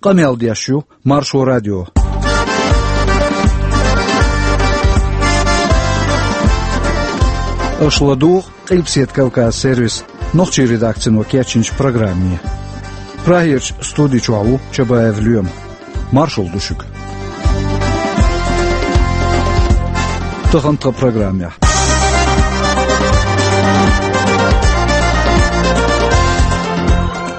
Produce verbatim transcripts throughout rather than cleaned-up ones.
Къамел деш ю Маршо радио. Аша ладугӀу Къилбаседа Кавказ сервисан нохчийн редакцино кечйинчу программе. Прагерчу студи чохь ву Чабаев Лоьма. Маршалла ду шуьга. Тахана тхан программехь.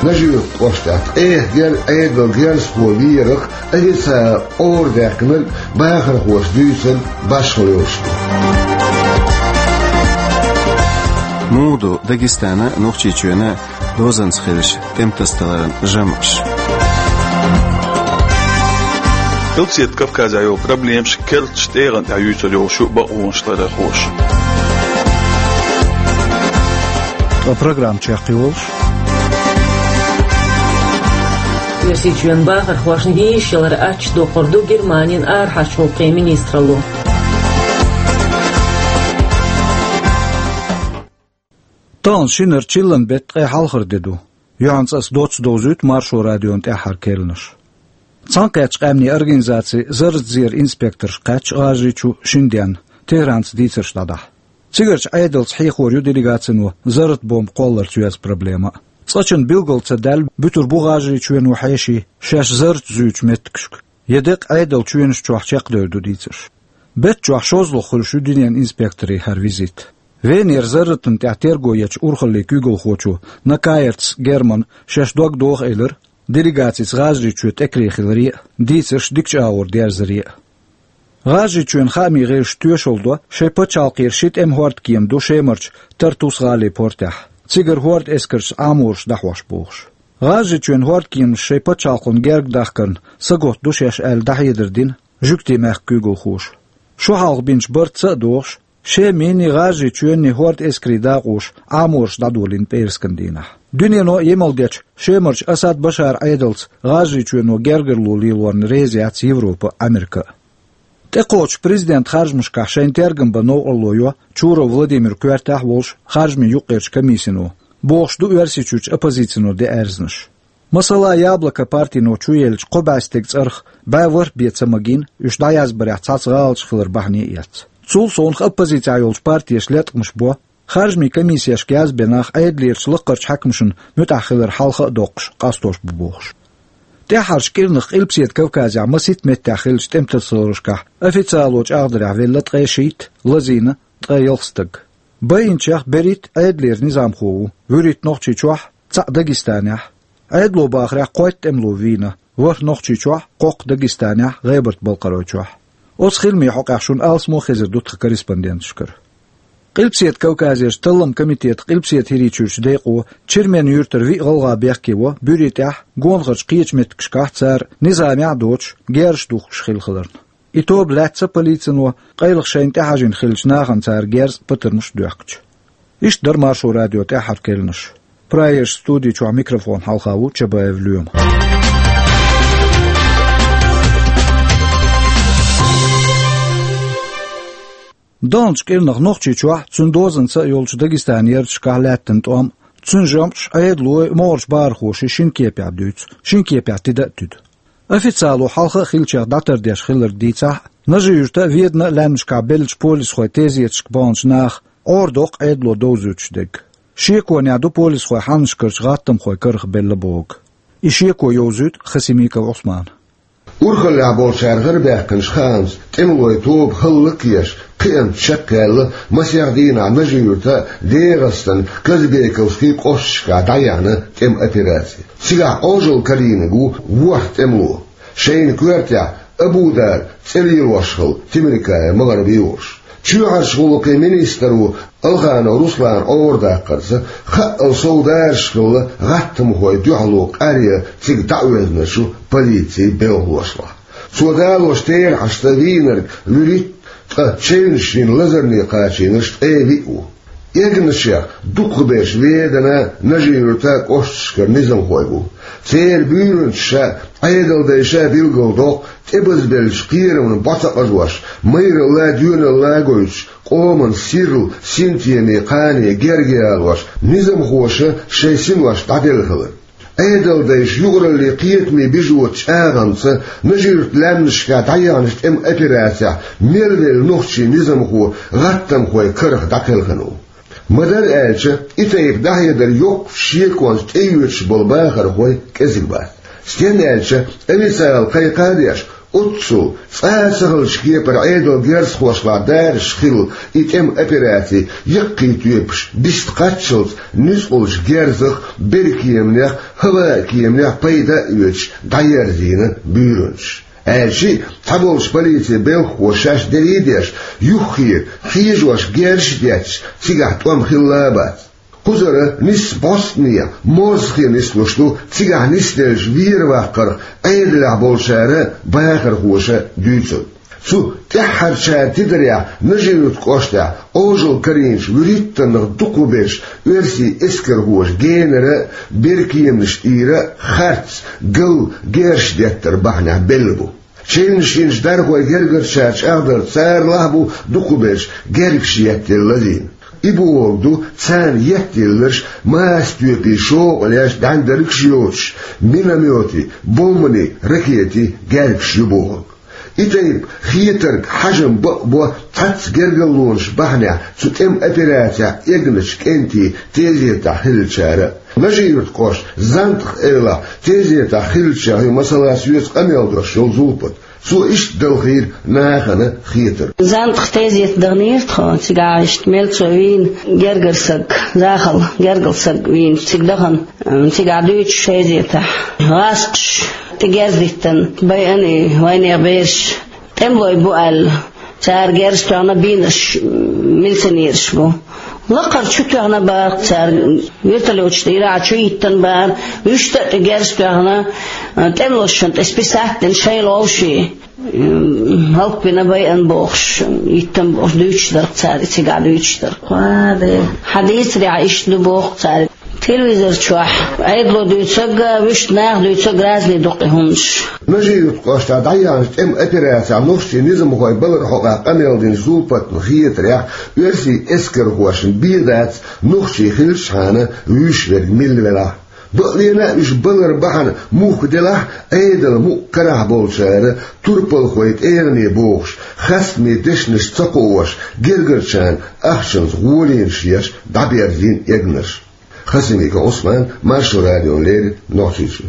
Нажи-Юьртан кӀоштахь ткъех гергга Ӏедалан герзахо верах официалан ора даьккхинарг бахархоша дуьйцург башхалла йолуш ду. Муха ду Дагестана а, Нохчийчоьна а дозанца хиллачу тӀематасадаларан жамӀаш? Къилбаседа Кавказехь йолу проблемаш керлачу тӀегӀан тӀехь юьйцур йолуш ю бакъонаш ларъярхоша. Ткъа программа чекхйолуш. Оьрсийчоьнан бахархошна йиш ялар аттачу доккхур ду Германин арахьарчу гӀуллакхийн министралло. Тахана шинара чиллан беттан ткъе хьалхара де ду. Юьхьанца аса доцца довзуьйту Маршо радион тӀаьххьара керланаш. Цхьаьнакхеттачу къаьмнийн организацин зарратан зеран инспекторш кхаьчна ГӀажарийчу шина денна, Тегеранца дийцарш дӀадахьа. Цигарчу Ӏедалца хьехор ю делегацино зарратан бомба кхолларца йоьзна проблема а. Цкъачунна билгал ца даьлла, буьтур бу ГӀажарийчоьно хьеший шаьш зарратан зуьйчу меттигашка. Я декъа Ӏедалан чоьнаш чохь чекхдевр ду дийцарш. Беттан чохь шозлагӀа хуьлуш ю дуьненан инспекторийн хӀара визит. Венера зарратана тӀехь терго ечу урхаллин куьйгалхочо Накаерц Германа шаьш дог доху элира делегацица ГӀажарийчоь тӀекаре хиларе а, дийцарш дикачу агӀор дерзаре а. ГӀажарийчоьнан хаамийн гӀирсаша тоьшалла до, шайн пачхьалкхера ши тӀеман хӀордкема ду Шемарчу Тартус гӀалин портехь, цигара хӀордан эскаршца Ӏамораш дӀахьош бохуш. ГӀажарийчоьнан хӀордкеманаш шайн пачхьалкхана герга дахкарна сагатдо шаьш аьлла дӀахьедар дина жуьгтийн мехкан куьйгалхоша. Шо хьалха бинчу барца а догӀуш, Шеманний, ГӀажарийчоьнний хӀордан эскарийн дакъоша Ӏамораш дӀадолийна пӀераскан дийнахь. Дуьнено а емал дечу Шемарчу Асад Башаран Ӏедалца ГӀажарийчоьно гергарло лелорна реза яц Европа а, Ӏамерка а. ТӀекхочучу президентан харжамашкахь шайна тергам бан новкъарло йо Чуров Владимиран коьртехь а волуш харжамийн юккъерчу комиссино, бохуш ду Оьрсийчуьрчу оппозицино деана аьрзнаш. Масала, «Яблоко» партино чуеллачу кхо бӀе стеган цӀарах бӀе ворхӀ бен ца магийна, уьш дӀаязбарехь цхьацца гӀалаташ хилар бахьане а эцна. Цул совнаха оппозицехь йолчу партеша латкъамаш бо, харжамийн комиссешка язбина нах Ӏедалерчу лакхарчу хьаькамашна муьтӀахь хилар хьалха а доккхуш, къастош бу бохуш. ТӀаьххьарчу кӀирнах Къилбаседа Кавказехь масийтта меттехь хиллачу тӀематасадаларшкахь официало чӀагӀдарехь велла ткъе шийтта, лазийна ткъе ялх стаг. Байинчех берхӀитта Ӏедалера низамхо ву, вуьрхӀитта Нохчийчохь, цхьаъ Дагестанехь. Ӏедало бахарехь, кхойтта тӀемало вийна, ворхӀ Нохчийчохь, кхоккха Дагестанехь, ГӀебарта-Балкхаройчохь. Оцу хиламийн хьокъехь шуна алсамо а хезар ду тхан корреспонденташкара. Къилбаседа Кавказерчу талламан комитетан Къилбаседа ХӀирийчуьрчу декъо Чермен-Юьртара виъ гӀалгӀа бехке во буьрий тӀехь, гонахарчу кхечу меттигашкахь цара низамехь а доцуш, герзаш духкуш хилла хиларна. И тоба лаьцна полицино, къайлаха шайна тӀехьажийна хиллачу нахана цара герз а, патармаш а доьхкича. Иштта дара Маршо радион тӀаьххьара керланаш. Прагерчу студи чохь микрофон хьалха ву Чабаев Лоьма. Даханчу кӀирнах Нохчийчохь, цуьнан дозанца а йолчу Дагестанан ярташкахь лаьттина тӀом, цуьнан жамӀаш Ӏедалой, могӀарчу бахархоший шина кепехь дуьйцу, шина кепехь тида а туьду. Официало хьалха а хиллачех дӀатардеш хилларг дийцахь а, Нажи-Юьрта а, Ведана а лаьмнашкахь беллачу полисхойн тезеташка баханчу наха Ӏорадоккху Ӏедало довзуьйтуш дерг. Шеконехь ду полисхой хьаннашкарчу гӀаттамхойн карах белла бохург. И шеко йовзуьйту Хасимиков Ӏусмана. Урхаллехь болчара хӀара баьхкинчу хаамца, тӀемалойн тоба хӀаллакъеш, кхиамца чекхъяьлла, масех дийнахь Нажи-Юьрта а, ДегӀастанан Казбековский кӀошташкахь дӀаяьхьна тӀеман операци. Цигахь Ӏожалла карийнарг ву ворхӀ тӀемало. Шайна коьртехь Абудара цӀе лелош хилла Темиркаев МагӀарби а волуш. Чоьхьарчу гӀуллакхийн министр ву Алханов Руслан Ӏорадаккхарца, хаъал сов дараш хилла гӀаттамхойн дуьхьало къаръян цига дӀаоьзначу полицин белхалошлахь. Цо далочу терахьашца, вийнарг вуьрхӀитта, ткъа чевнаш йина лазарне кхачийнарш ткъе виъ ву. Эгначех дукхахберш Веданан, Нажи-Юьртан кӀошташкара низамхой бу. Церан буьйранчаша а, Ӏедалдайша а билгалдоккху, тӀебазбеллачу кхерамна бӀо ца къажош, майралла а, доьналла а гойтуш, къоман сирла, синтеме, кхане герга ялош, низамхоша шайн синош дӀаделла хилар. Ӏедалдайша юкъараллин кхетаме бижочу чӀагӀамца Нажи-Юьртан лаьмнашкахь дӀаяьхьначу тӀеман операцехь мел велла нохчийн низамхо гӀаттамхойн карах дӀакхелхина ву. Ма-дарра аьлча, и тайпа дӀахьедар йоккхачу шеконца тӀеоьцуш болу бахархой кӀезиг бац. Стенна аьлча, официалан кхайкхам а деш, оццул цкъа а ца хиллачу кепара Ӏедалан герзахошлахь даржаш хилла и тӀеман операци яккхий тоьпаш бист кхаччалц нуьцкъалчу герзах, беркеманех, хӀаваан кеманех пайда а оьцуш дӀаерзийна буьйранчаш. Аьлча а, цхьаболчу полицин белхахоша шаьш дерриг а деш, юххера хьежош герзаш а детташ, цигахь тӀом хилла а бац. Кхузара нисса бӀостанехьа, моззахе нислуш ду цигахь нисделлачу вер-ваккхарх Ӏедалехь болчара а, бахархоша а дуьйцург. Цу тӀаьххьарчара тидарехь Нажи-Юьртан кӀоштахь Ӏожалла карийначу вуьрхӀиттаннах дукхахберш оьрсийн эскархоша генара а, беркеманаш тӀера а харц, галла герзаш деттар бахьанехь белла бу. Чевнаш йинчу дархойн гергарчара чӀагӀдарца, царалахь а бу дукхахберш гергаш еттелла лазийна. И бохург ду, царна еттелларш масатоьпийн шовкъалеш, дӀаьндаргаш а йоцуш, миномётийн, бомбанийн, ракетийн гергаш ю бохург. И тайпа хетарг хьажам бакъ бо цхьацца гергарлонаш бахьанехь цу тӀеман операцехь эгначу кӀентийн тезетахь хиллачара а. Нажи-Юьртан кӀоштан «Зандтах» эвлахь тезетахь хиллачех ю, масала, соьца къамел деш йолу Зулпат. Цо иштта далхийра нахана хетарг. «Зандтах» тезета даханера тхо, цигахь иштта мел цо вийна гергара саг, захалан гергара саг вийна цига дахана, м, цигахь дуьйцуш тезетахь. ГӀазкхаша тӀе герз диттина байина и вайнехан бераш. ТӀемалой бу аьлла, цара герз тоьхна бийнарш, м, милиционераш бу. Лакхара чу тоьхна бара цара, вертолёташ тӀера а чу йиттина бара, вуьшта а тӀе герз тоьхна, тӀемалошна тӀе списать дина шайла вовший, м, хӀаллакбина байина бохуш, йиттина бохуш дуьйцуш дара цара, цигахь дуьйцуш дара. Хьан дийцарехь иштта ду боху цара. Телевизор чохь Ӏедало дуьйцург а, вуьшта наха дуьйцург а разный ду-кх и хӀуманаш. Нажи-Юьртан кӀоштахь дӀаяьхьначу тӀеман операцехь нохчийн низамхойн баларан хьокъехь къамел динчу Зулпатна хетарехь, оьрсийн эскархошна бен дац нохчий хиллачхьана вуьйш верг милла велахь а. Бакълена а уьш балар бахьана мухха делахь а, Ӏедалан мукъа карахь болчара турпалхойн тӀегӀане бохуш, хастаме дешнаш ца кхоош, гергарчарна ахчанца гӀоле еш дӀаберзийна эгнарш. Хасимиков Ӏусман, Маршо радиона леррина, Нохчийчоь.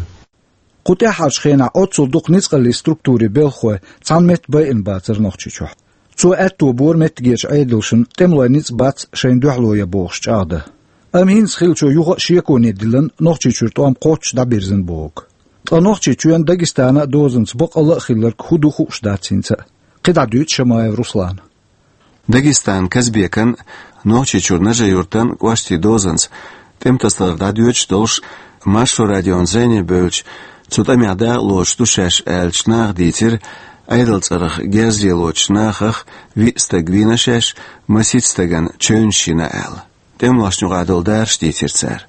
Кху тӀаьххьарчу хенахь оццул дукха ницкъаллийн структурийн белхахой цхьана метта байина бацара Нохчийчохь. Цо аьтто бора меттигерчу Ӏедалшна тӀемалойн ницкъ бац шайна дуьхьало ян бохуш чӀагӀдан. Амма хӀинца хиллачо юха а шеконе диллина, Нохчийчуьра тӀом кхоччуш дӀабирзина бохург. Ткъа Нохчийчоьнан, Дагестанан а дозанца бакъалла а хилларг хӀун ду хууш дац хӀинца а. КхидӀа дуьйцу Шамаев Руслана. Дагестанан Казбекан а, Нохчийчуьра Нажи-Юьртан а кӀоштийн дозанца тӀеман тасадалар дӀадоьдуш долуш, Маршо радион зӀене бевлча, цу тӀамехь дакъалоцуш ду шаьш аьллачу наха дийцира Ӏедалан цӀарах герз лелочу нахах виъ стаг вийна шаьш, масийтта стагана чевнаш йина аьлла. ТӀемалошна юкъахь долу даржаш дийцира цара.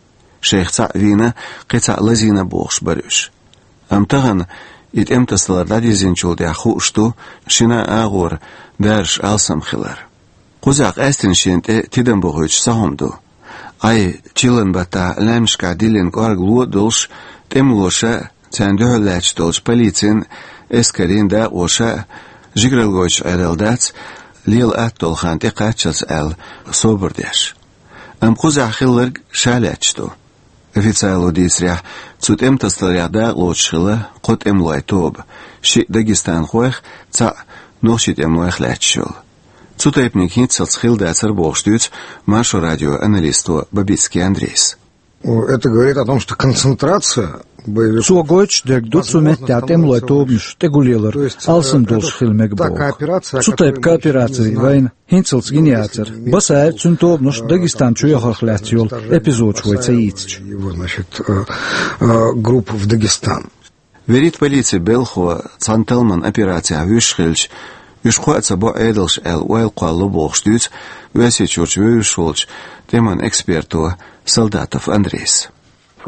Шайх цхьаъ вийна, кхин цхьаъ лазийна бохуш бара уьш. Амма тахана и тӀеман тасадалар дӀадирзинчул тӀаьхьа хууш ду шина а агӀора даржаш алсам хилар. Кхузахь къаьсттина шена тӀе тидам бохуьйтуш цхьа хӀума ду. Ӏай, чиллан баттахь лаьмнашкахь диллина кӀоргалло а долуш, тӀемалоша а, царна дуьхьал лаьтташ долчу полицин а, эскарийн а дакъоша а жигаралла гойтуш Ӏерла дац, лела атта долу хан тӀекхаччалц аьлла, собар деш. Амма кхузахь хилларг ша лаьтташ ду. Официало дийцарехь, цу тӀеман тасадаларех дакъалоцуш хилла кхо тӀемалойн тоба, шиъ дагестанхойх, цхьаъ нохчийн тӀемалойх лаьтташ йолу. Цу тайпаниг хӀинццалц хилла дацара бохуш дуьйцу Маршо радион аналисто Бабицкий Андрейс. О, это говорит о том, что концентрация боевиков... Цо гойтуш дерг ду цу меттехь тӀемалойн тобанаш тӀегуллелар алсам долуш хила мега боху. Цу тайпа коопераци вайна хӀинццалц гина яцара. Басаев а, цуьнан тобанаш а Дагестан чу яхарх лаьцна йолу эпизодаш вай ца йийцича. Его, значит, э, э, групп в Дагестан. Берриг а полицин белхахо цхьана талламан операцехь вуьйш хилча, уьш кхоа ца бо Ӏедалша аьлла ойла кхоллало бохуш дуьйцу Оьрсийчуьрчу вевзаш волчу тӀеман эксперто Солдатов Андрейс.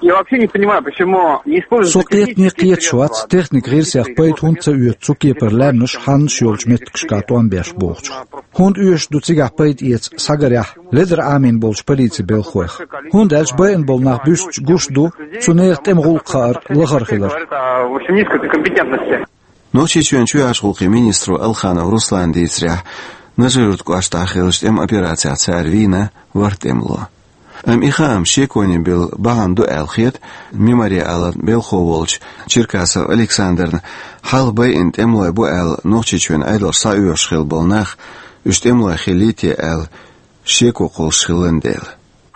Я вообще не понимаю, почему не используются... Со кхетане технические кхеташ вац, техника гӀирсех пайда хӀунда ца оьцу цу кепара лаьмнаш, хьаннаш йолчу меттигашкахь тӀом беш бохучух. ХӀунда оьшуш ду цигахь пайда эца схьагарехь, ледара Ӏамийна болчу полицин белхалойх? ХӀунда аьлча байина болу нах буьстича гуш ду цу нехан тӀеман гӀуллакх хаар лахара хилар. Говорит о очень низкой компетентности. Нохчийчоьнан чоьхьарчу гӀуллакхийн министро Алханов Руслана дийцарехь, Нажи-Юьртан кӀоштахь хиллачу тӀеман операцехь цара вийна ворхӀ тӀемало. Амма и хаам шеконе билла бахьана ду аьлла хета Мемориалан белхало волчу Черкасов Александрна, хьалха байина тӀемалой бу аьлла Нохчийчоьнан Ӏедалша схьаоьхуш хилла болу нах, уьш тӀемалой хиллий те аьлла, шеко кхуллуш хиллан дела.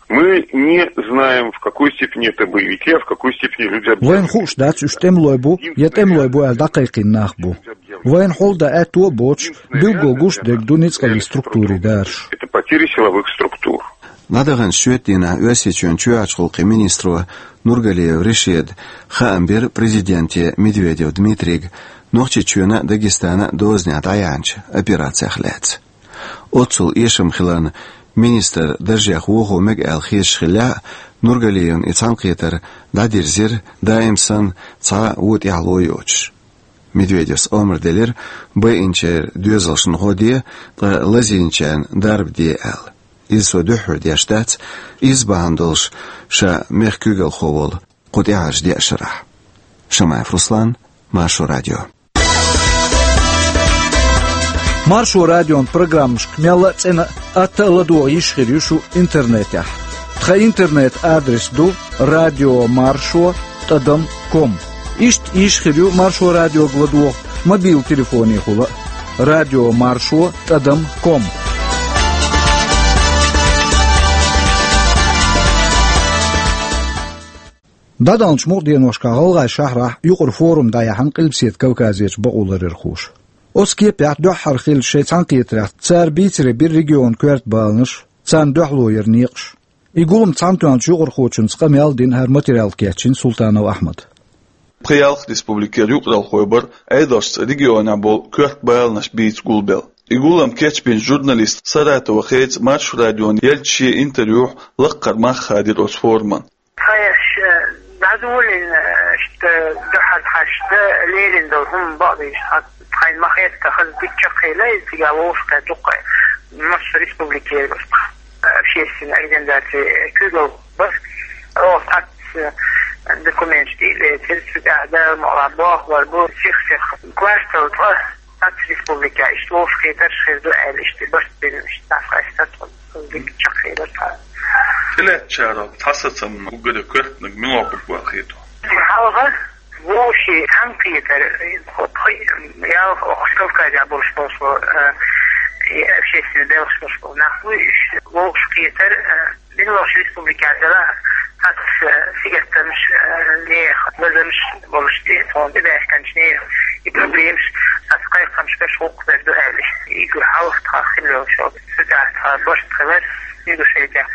Мы не знаем, в какой степени это боевики, а в какой степени люди... Вайна хууш дац, уьш тӀемалой бу я тӀемалой бу аьлла дӀакхайкхийна нах бу. Вайна хьал дан аьтто а боцуш, билггал гуш дерг ду ницкъаллин структурийн дараш. Это потери силовых структур. ДӀадаханчу шоьтан дийнахь Оьрсийчоьнан чоьхьарчу гӀуллакхийн министро Нургалиев Решида хаам бира президенте Медведев Дмитрийга Нохчийчоьнан а, Дагестанан а дозанехь дӀаяьхьначу операцех лаьцна. Оццул эшам хиларна, министр даржех вохо мега аьлла хеташ хиллехь а, Нургалиевна и цхьаьнакхетар дӀадирзира, даим санна цхьа а вон тӀаьхьало йоцуш. Медведевс омра делира, байинчеран доьзалшна гӀо де, ткъа лазийначарна дарба де аьлла. Иза со дуьххьара деш дац, иза бахьана долуш ша мехкан куьйгалхо волу кху тӀаьхьарчу деа шарахь. Шамаев Руслан, Маршо радио. Маршо радион программашка мелла а цӀена а, атта а ладогӀа йиш хир ю шу интернетехь. Тхан интернет-адрес ду радиомаршо тӀадам ком. Иштта йиш хир ю Маршо радиога ладогӀа мобил телефонехула а, радиомаршо тӀадам ком. ДӀадаханчу мукъа деношкахь ГӀалгӀайн шахьарахь юкъара форум дӀаяьхьна Къилбаседа Кавказерчу бакъоларъярхоша. Оцу кепехь дуьххьара хиллачу шайн цхьаьнакхетарехь цара бийцаре бира регионан коьрта баланаш, царна дуьхьало яран некъаш. И гулам цхьаьнатоьхначу юкъархочуьнца къамел а дина, хӀара материал кечйина Султанов Ахьмада. Пхи-ялх республикера юкъаралхой бара Ӏедалшца регионехь болу коьрта баланаш бийца гулбелла. И гулам кечбинчу журналиста Саратова Хеца Маршо радиона еллачу шен интервьюхь лаккхара мах хадийра оцу форуман. Тхан еш, э, дӀадолийна, э, иштта дуьххьара тхаьш дан лерина долу хӀума бакъдийша, тхан, тхайна ма-хетта, хаза дика чекхъелла иза, цигахь вовшахкхетта дуккха массо республикера бара, э, общественная организация, э, куьйгалла бара. Оха цхьацца, э, документаш тӀе а лецира, цу тӀехь Дала мукълахь бохург бу, сих-сиха квартал тӀе цхьацца республикехь иштта вовшахкхетарш хир ду аьлла, иштта барт бина, иштта дӀасакъаьстира тхо. Дика чекхъелира тхо. ТӀелеттачарах цхьа сацам уггаре коьртаниг мила бу аьлла хета хьуна? Хьалха вовшийн цхьаьнакхетар, ялх, оха Кавказехь болуш болуш болу, э, и общественный белхаш болуш болу нах бу уьш, вовшахкхетар, э, мила йолчу республикехь делахь, цхьацца сигаттамаш, э, нехан лазамаш болуш тӀе, тхуна тӀебаьхкинчу нехан и проблемаш, цхьацца кхайкхамаш берш гӀуллакх бер ду аьлла, и хьалха тхан хилла йолуш йолу. Цигахь тхан барт хилар, Ингушетехь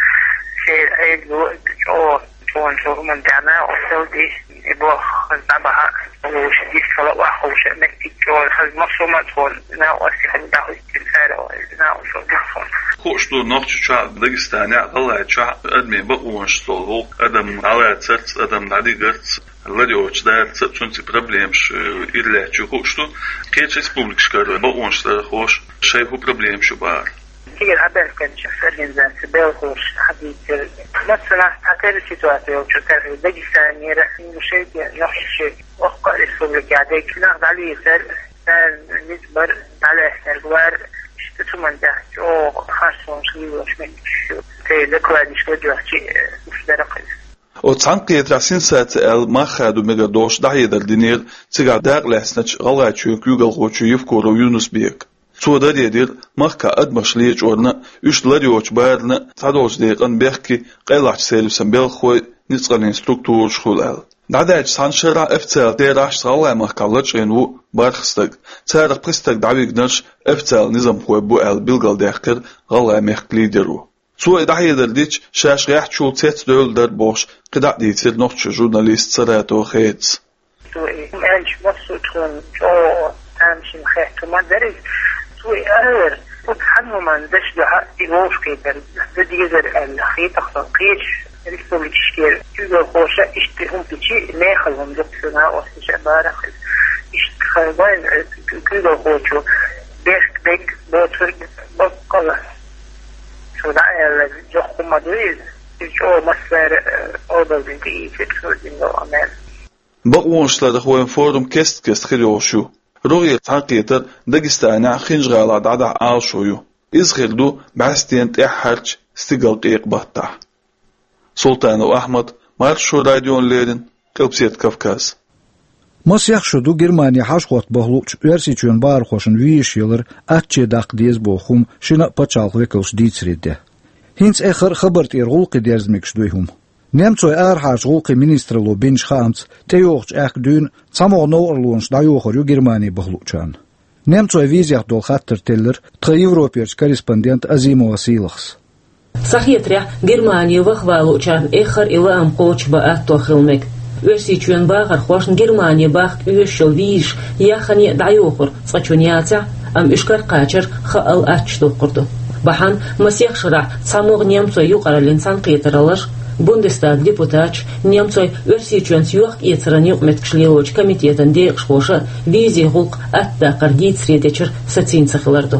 шайн Ӏедало чӀогӀа тхуна цу хӀуманна тӀехь накъосталла дийшина, и болх дӀабахьа а луш, дистхила а охьахуша а меттиг чӀогӀа хаза, массо а ма тхуна накъостий хӀума дӀахӀиттина цара, накъосталла дийшина. Хууш ду, Нохчийчохь а, Дагестанехь а, ГӀалгӀайчохь а адамийн бакъонаш долу гӀуллакх, адам дӀалацарца, адам дӀадигарца, лар йоцуш дарца, цуьнца проблемаш, э, ира лаьтташ ю хууш ду. Кхечу республикашкара бакъонаш ларъярхоша шайн хӀун проблемаш ю бахара. Цигара хьабаьхкинчу организацин белхалоша хьадийцира, массанхьа цхьатерра ситуация йолчу тӀехь Дагестанера, Ингушетера, Нохчийчоьнара, оккха а республикехь дерг нах дӀалецар, царна ницкъ бар, дӀалаьцнарг вар, иштта цу хӀуманна тӀехь чӀогӀа харцонаш лелош меттигаш ю. Церан докладнаш ладоьгӀча, э, уьш дара-кх иза. Оцу цхьаьнакхетарехь сенсаци аьлла мах хадо мегар долуш дӀахьедар динера цигахь дакъалаьцначу ГӀалгӀайчоьнан куьйгалхочо Евкуров Юнус-Бека. Цо даре дира, махкахь адамаш лечкъорна а, уьш лар йоцуш барна а цхьадолчу декъана бехке къайлахчу сервисан белхалой, ницкъаллин структураш хуьлу аьлла. ДӀадаьллачу цхьана шарахь официалан терахьашца ГӀалгӀайн махкахь лачкъийна ву бархӀ стаг. Царах пхи стаг дӀавигнарш официалан низамхой бу аьлла билгалдаьккхира ГӀалгӀайн мехкан лидеро. Цо и дӀахьедар дича, шаьш гӀеххьачул цецдевлла дара бохуш, кхидӀа а дийцира нохчийн журналиста Саратова Хецас. Цо и аьлча, массо а тхуна чӀогӀа тамашийна хетта хӀума дара иза. Цо и алара, оцу цхьана хӀуманна даш дуьхьа и вовшахкхетар дан дезара аьлла хета тхуна, кхечу Республикашкара куьйгалхоша иштта хӀума дичи, мехала хӀума дукха шуна ослуша барах. Иштта хайбайн куьйгалхочо бехк бег боцург баккъала. Шу дӀа аьлла, жохху ма ду иза. Иза чӀогӀа массара обалдин тӀеийцира, шу дин до амел. Бакъонаш ларах вайн форум кест-кест хир йолуш ю. РогӀера цхьаьнакхетар Дагестанехь Хинжа-ГӀалахь дӀадахьа Ӏалашо ю. Иза хир ду бӀаьстенан тӀаьххьарчу стигалкъекъа баттахь. Султанов Ахьмад, Маршо радиона леррина, Къилбаседа Кавказ. Масех шо ду Германи хьажа-хӀотта баха луучу Оьрсийчоьнан бахархошна визаш ялар аттаче даккха деза боху хӀума шина а пачхьалкхан векалша дийцаре де. ХӀинца эххар а хабар тӀера гӀуллакхийн дерза мегаш ду и хӀума. Немцойн арахьарчу гӀуллакхийн министралло бинчу хаамца, тӀейогӀучу аьхка дуьйна цхьа могӀа новкъарлонаш дӀайохур ю Германи баха луучарна. Немцойн визех долу хаттар теллира тхан Европерчу корреспондента Азимова Сийлахьас. Схьахетарехь, Германи ваха ван луучарна эххар а и лаам кхочушбан атто хила мега. Оьрсийчоьнан бахархошна Германи бахка оьшуш йолу визаш яххане а дӀайохур цкъачунна яцахь а, амма уьш каракхачар хаал аттачу доккхур ду. Бахьана масех шарахь цхьа могӀа немцойн юкъараллин цхьаьнакхетараллаш, Бундестаган депутаташ, немцойн Оьрсийчоьнца йохк-эцаран юкъаметтигаш лелочу комитетан декъашхоша визийн гӀуллакх аттадаккхар дийцаре дечуьра сацийна ца хилар ду.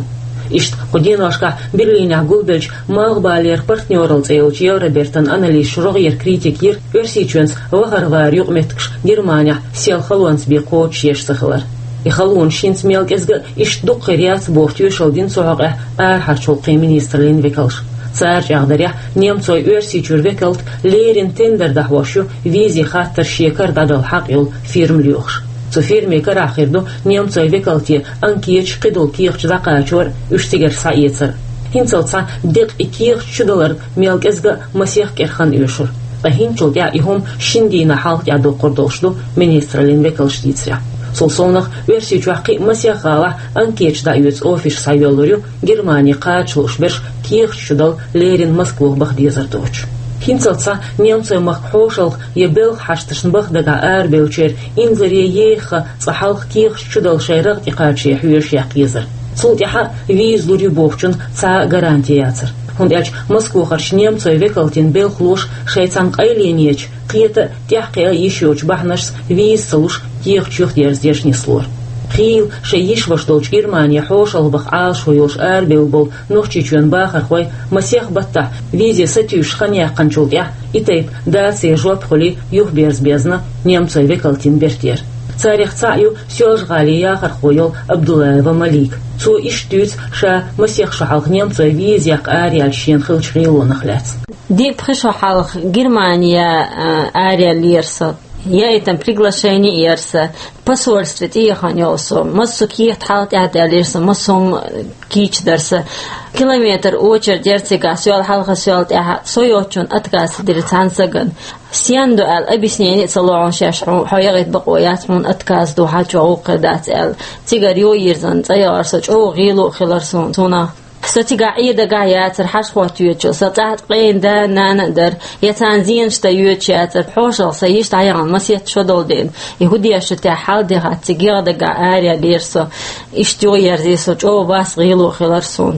Иштта кху деношкахь Берлинехь гулбеллачу «Малхбалера партнералла» цӀе йолчу Евробертан аналисташа рогӀера критика йира Оьрсийчоьнца вахарваран юкъаметтигаш Германехь сел халонца бен кхочушъеш ца хилар. И халонаш хӀинца мел кӀезга а иштта дукха хир яц боху тоьшалла дина цу хьокъехь арахьарчу гӀуллакхийн министраллин векалша. Цара чӀагӀдарехь, немцойн Оьрсийчуьра векалт леррина тендер дӀахьош ю визийн хаттар шен кара дӀадала хьакъ йолу фирма лоьхуш. Цу фирмин карахь хир ду немцойн векалте анкеташ, кхидолу кехаташ дӀакхачор а, уьш цигара схьаэцар а. ХӀинцалц цхьа декъа и кехаташ чудаларна мел кӀезга а масех кӀирхана оьшура. Ткъа хӀинцачул тӀаьхьа и хӀума шина дийнахь хьалха тӀаьхьа доккхур долуш ду министраллин векалша дийцарехь. Цул совнах, Оьрсийчохь кхин а масех гӀалахь анкеташ дӀаоьцу офисаш схьайоьллур ю, Германи кхача лууш берш кехаташ чудала леррина Москвах баха дезар доцуш. ХӀинцалц цхьа немцойн махка хьошалгӀа я белхан хьашташна баха дагахь арабевллачеран инзаре еха цкъа хьалха кехаташ чудала шайн рагӀ тӀекхачаре хьоьжуш яккха езар. Цул тӀаьхьа а виза лур ю бохучунна цхьа а гаранти яцара. ХӀунда аьлча Москвахарчу немцойн векалтийн белхалоша шайн цхьана къайленечу, кхета а, тӀаьхьакхиа а йиш йоцучу бахьанашца виза ца луш, кехаташ юхадерзадеш нислора. Хийла шайн йиш-ваша долчу Германе хьошалгӀа баха Ӏалашо йолуш арабевлла болу Нохчийчоьнан бахархой масех баттахь визе сатуьйсуш хан яьккхинчул тӀаьхьа и тайпа дацаре жоп хуьлий юхаберза безна немцойн векалтийн бертера. Царех цхьаъ ю Соьлжа-ГӀалин яхархо йолу Абдуллаева Малика. Цо иштта дуьйцу ша масех шо хьалха немцойн виза яккха араяьлча шена хиллачу гӀелонах лаьцна. Диъ-пхи шо хьалха Германе, а, араяьллера со. Яийтина приглашение яра сан, посольстве тӀехьа яра со, массо а кехат хьалха тӀаьхьа даьллера сан, массо а хӀума кийча дара сан. Километр очередь яра цигахь, соьл хьалха, соьл тӀаьхьа, со йоцучунна отказ дира цхьана сагана. Стенна ду аьлла, объяснение а ца ло хьуна шаьш, хьо, хьо яхийта бакъо яц, хьуна отказ ду, хьан чохь гӀуллакх хир дац аьлла. Цигара йо йирзина цӀа яхара со, чӀогӀа гӀело а хилара суна, суна. Со цигахь Ӏедагахь яцара хьажа-хӀотта йоьдучу, сан цӀахь ткъе нана а, нана а дара, я царна зенаш дан йоьдуш яцара, хьошалгӀа сан йиш дӀаяхана масех шо долу дела, и хӀун деш ю техьа хьал дехьа цига, ГӀалгӀайгахь араяьллера со, иштта юхаерзий со, чӀогӀа вас, гӀело а хилара суна.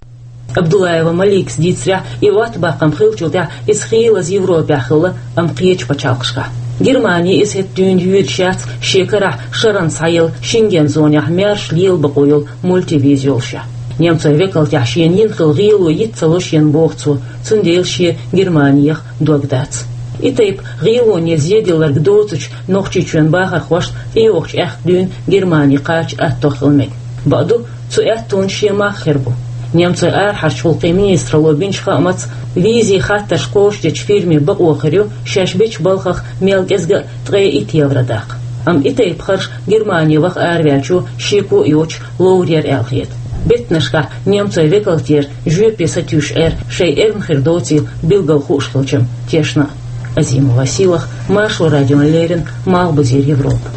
Абдуллаева Маликас дийцарехь, и оттабаккхам хиллачул тӀаьхьа иза хийлаза Европехь хилла, амма кхечу пачхьалкхашкахь. Германи иза хӀетахь дуьйна йоьдуш яц шен карахь шарна схьаелла Шенген зонехь маьрша лела бакъо йолу мультивиза йолушехь. Немцойн векалтехь шена йина хилла гӀело йиц ца ло шена, боху цо, цундела шен Германех дог дац. И тайпа гӀелоне зеделларг доцучу Нохчийчоьнан бахархошна тӀейогӀучу аьхка дуьйна Германи кхача аьтто хила мега. Бакъду, цу аьттонан шен мах хир бу. Немцойн арахьарчу гӀуллакхийн министралло бинчу хаамца, визийн хаттарш кхочушдечу фирме бакъо хир ю шаьш бечу балхах мел кӀезга а ткъе итт евро даккха. Амма и тайпа харш Германе ваха араваьллачо шеко а йоцуш ловр яра аьлла хета. Беттанашкахь немцойн векалтера жоьпе сатуьйсуш Ӏер шайн эрна хир доцийла билггал хууш хилча-м тешна а. Азимова Сийлахь, Маршо радиона леррина, Малхбузера Европа.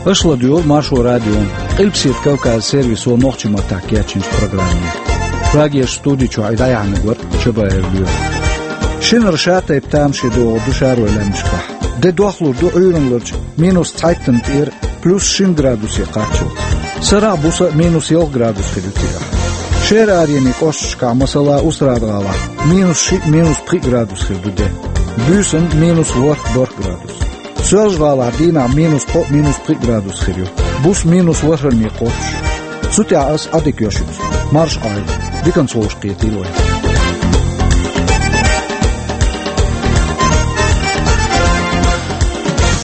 Аша ладуьйгӀу Маршо радион Къилбаседа Кавказан сервисо нохчийн маттахь кечйинчу программе. Прагерчу студи чохь и дӀаяьхьнарг вара Чабаев Лоьма. Шинара шатайпа тамашийна догӀур ду шаройн лаьмнашкахь. Де дохлур ду Ӏуьйранларчу минус цхьайттана тӀера плюс шина градусе кхаччалц. Сарахь а, буса а минус ялх градус хир ю цигахь. Шера аренийн кӀошташкахь, масала, Устрада-ГӀалахь минус шиъ, минус пхиъ градус хир ду де. Буьйсанна минус ворхӀ, ворхӀ градус. Соьлжа-ГӀалахь дийнахь минус кхоъ, минус пхиъ градус хир ю. Буса минус ворхӀанний кхоччуш. Цу тӀехь ас Ӏадика йо шуьца. Марша Ӏойла. Диканца вовшахкхетийла вай.